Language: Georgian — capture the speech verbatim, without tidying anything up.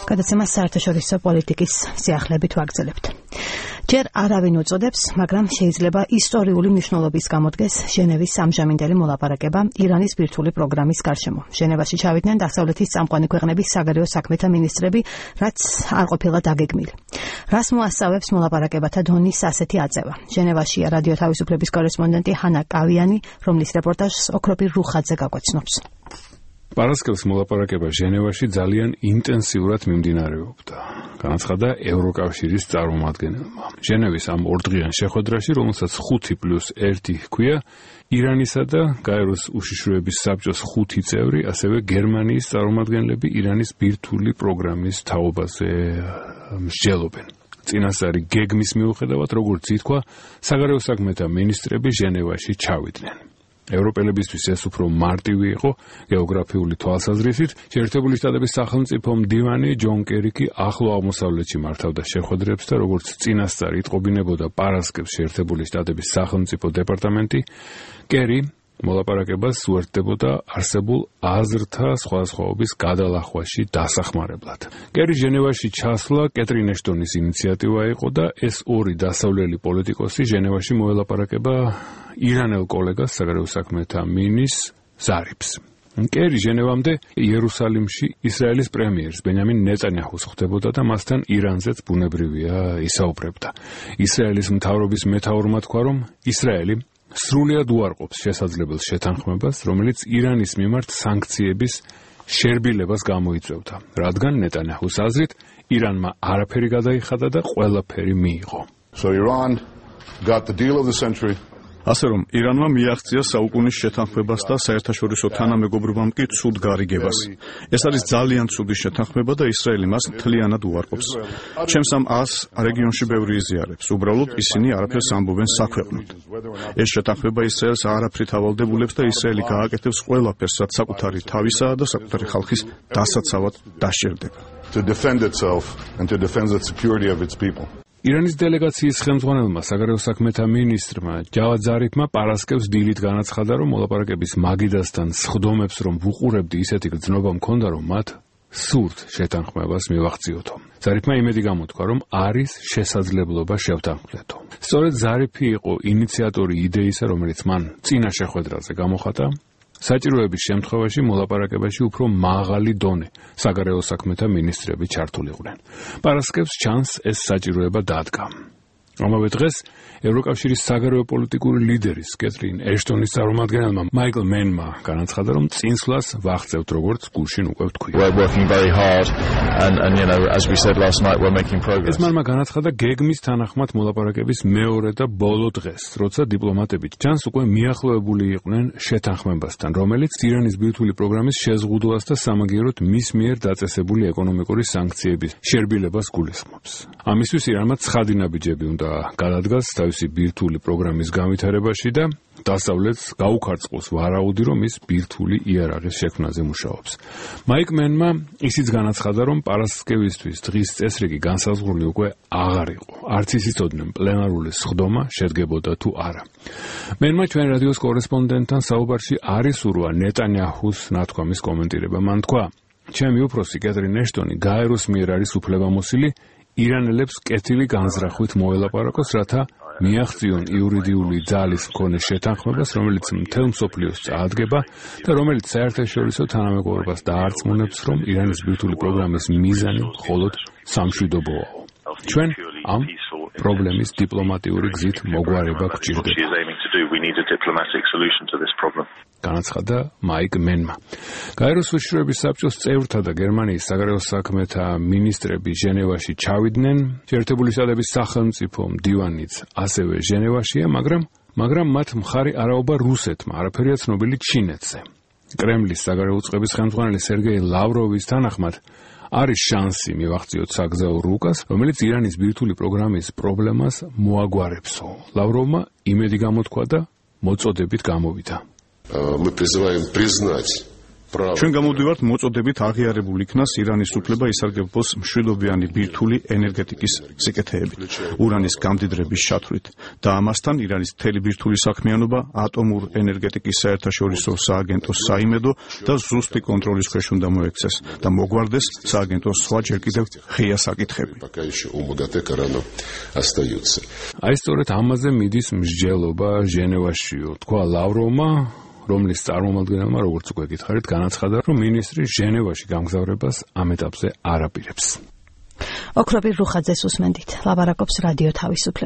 გადაცემას საერთაშორისო პოლიტიკის სიახლეებით ვაგრძელებთ. ჯერ არავინ უწოდებს, მაგრამ შეიძლება ისტორიული მნიშვნელობის გამოდგეს ჟენევის ამჟამინდელი მოლაპარაკება ირანის ბირთვული პროგრამის გარშემო. ჟენევაში ჩავიდნენ დასავლეთის წამყვანი ქვეყნების საგარეო საქმეთა მინისტრები, რაც არ ყოფილა დაგეგმილი. რას მოასწავებს მოლაპარაკებათა დონის ასეთი აწევა? ჟენევაშია რადიო თავისუფლების კორესპონდენტი ჰანა კავიანი, რომლის რეპორტაჟს ოქროპირ რუხაძე გაგვაცნობს. პარასკევს მოლაპარაკება ჟენევაში ძალიან ინტენსიურად მიმდინარეობდა. განაცხადა ევროკავშირის წარმომადგენელმა. ჟენევის ამ ორდღიან შეხვედრაში, რომელსაც ხუთი პლუს ერთი ჰქვია, ირანისა და გაეროს უშიშროების საბჭოს ხუთი წევრი, ასევე გერმანიის წარმომადგენლები ირანის ბირთვული პროგრამის თაობაზე მსჯელობენ. წინასწარი გეგმის მიუხედავად, როგორც ითქვა, საგარეო საქმეთა მინისტრები ჟენევაში ჩავიდნენ. ევროპელებისთვის ეს უფრო მარტივი იყო გეოგრაფიული თვალსაზრისით. შეერთებული შტატების სახელმწიფო მდივანი ჯონ კერი კი ახლო აღმოსავლეთში მართავდა შეხვედრებს და როგორც წინასწარ იტყობინებოდა პარასკევს შეერთებული შტატების სახელმწიფო დეპარტამენტი, კერი მოლაპარაკებას უერთდებოდა არსებულ აზრთა სხვადასხვაობის გადალახვაში დასახმარებლად. კერი ჟენევაში ჩასვლა კეტრინ ეშტონის ინიციატივა იყო და ეს ორი დასავლელი პოლიტიკოსი ჟენევაში მოელაპარაკება ირანელ კოლეგას საგარეო საქმეთა მინის ზარიფს. კერი ჟენევამდე იერუსალიმში ისრაელის პრემიერს ბენიამინ ნეტანიაჰუს ხვდებოდა და მასთან ირანზეც ბუნებრივია ისაუბრებდა. ისრაელის მთავრობის მეთაურმა თქვა, რომ ისრაელი სრულად უარყოფს შესაძლებელ შეთანხმებას, რომელიც ირანის მიმართ სანქციების შერბილებას გამოიწვევდა, რადგან ნეტანიაჰუს აზრით ირანმა არაფერი გადაიხადა და ყველაფერი მიიღო. So Iran got the deal of the century. ასე რომ ირანმა მიაღწია საუკუნის შეთანხმებას და საერთაშორისო თანამეგობრობამ კი ცუდ გარიგებას. ეს არის ძალიან ცუდი შეთანხმება და ისრაელი მას მთლიანად უარყოფს. ჩემს ამ ას რეგიონში ბევრი იზიარებს. უბრალოდ ისინი არაფერს ამბობენ საქვეყნოდ. ეს შეთანხმება ისრაელს არაფრით ავალდებულებს და ისრაელი გააკეთებს ყველაფერს, რაც საკუთარი თავისაა და საკუთარი ხალხის დასაცავად დასჭირდება. To defend itself and to defend the security of its people. ირანის დელეგაციის ხელმძღვანელმა საგარეო საქმეთა მინისტრმა ჯავად ზარიფმა პარასკევს დილით განაცხადა, რომ მოლაპარაკების მაგიდასთან სხდომებს რომ ვუყურებდი, ისეთი გრძნობა მქონდა, რომ მათ სურთ შეთანხმებას მივაღწიოთო. ზარიფმა იმედი გამოთქვა, რომ არის შესაძლებლობა შევთანხმდეთო. სწორედ ზარიფი იყო ინიციატორი იდეისა, რომელიც მან წინა შეხვედრაზე გამოხატა. საჭიროების შემთხვევაში მოლაპარაკებაში უფრო მაღალი დონე საგარეო საქმეთა მინისტრები ჩართულიყვნენ. პარასკევს ჩანს ეს საჭიროება დადგა. ამავე დღეს ევროკავშირის საგარეო პოლიტიკური ლიდერის კეტრინ ეშტონის წარმომადგენელმა მაიკლ მენმა განაცხადა, რომ წინსვლას ვახცევთ, როგორც გუშინ უკვე ვთქვი. ეს მანმა განაცხადა გეგმის თანახმად მოლაპარაკების მეორე და ბოლო დღეს, როცა დიპლომატები ჩანს უკვე მიახლოებული იყვნენ შეთანხმებასთან, რომელიც ირანის ბირთვული პროგრამის შეზღუდვას და სამაგიეროდ მის მიერ დაწესებული ეკონომიკური სანქციების შერბილებას გულისხმობს. ამისთვის ირანმა ცხადი ნაბიჯები უნდა გადადგას თავისი ბირთვული პროგრამის განვითარებაში და დასავლეთს გაუქარწყოს ვარაუდი, რომ ის ბირთვული იარაღის შექმნაზე მუშაობს. მაიკ მენმა ისიც განაცხადა, რომ პარასკევისთვის დღის წესრიგი განსაზღვრული უკვე აღარ იყო. არც ის იცოდნენ პლენარული სხდომა შედგებოდა თუ არა. მენმა ჩვენ რადიოს კორესპონდენტთან საუბარში არ ისურვა ნეტანიაჰუს ნათქვამის კომენტირება. მან თქვა, ჩემი უფროსი კეტრინ ეშტონი გაეროს მიერ არის უფლებამოსილი ირანელებს კეთილი განზრახვით მოელაპარაკოს, რათა მიაღწიონ იურიდიული ძალის მქონე შეთანხმებას, რომელიც მთელ მსოფლიოს წაადგება და რომელიც საერთაშორისო თანამეგობრობას დაარწმუნებს, რომ ირანის ბირთვული პროგრამის მიზანი მხოლოდ სამშვიდობოა. ჩვენ ამ პრობლემის დიპლომატიური გზით მოგვარება გვჭირდება. განაცხადა მაიკ მენმა. გაეროს უშიშროების საბჭოს წევრთა და გერმანიის საგარეო საქმეთა მინისტრები ჟენევაში ჩავიდნენ. შეერთებული შტატების სახელმწიფო მდივანიც ასევე ჟენევაშია, მაგრამ მაგრამ მათ მხარი არაობა რუსეთმა, არაფერია ცნობილი ჩინეთზე. კრემლის საგარეო უწყების ხელმძღვანელი სერგეი ლავროვის თანახმად არის შანსი მივაღწიოთ საგზაო რუკას, რომელიც ირანის ბირთვული პროგრამის პრობლემას მოაგვარებსო. ლავროვმა იმედი გამოთქვა და მოწოდებით გამოვიდა. Мы призываем признать ჩვენ გამოვდივართ მოწოდებით აღიარებულ იქნას ირანის უფლება ისარგებლოს მშვილობიანი ბირთვული ენერგეტიკის სიკეთეებით, ურანის გამდიდრების შათვლით და ამასთან ირანის მთელი ბირთვული საქმიანობა ატომურ ენერგეტიკის საერთაშორისო სააგენტოს საიმედო და ზუსტი კონტროლის ქვეშ უნდა მოექცეს და მოგვარდეს სააგენტოს სხვა ჯერ კიდევ ღია საკითხები. აი სწორედ ამაზე მიდის მსჯელობა ჟენევაშიო, თქვა ლავროვმა, რომლის წარმომადგენელმა, როგორც უკვე გითხარით, განაცხადა, რომ მინისტრი ჟენევაში გამგზავრებას ამ ეტაპზე არ აპირებს. ოქრობირ რუხაძეს უსმენდით, ლაპარაკობს რადიო თავისუფლება.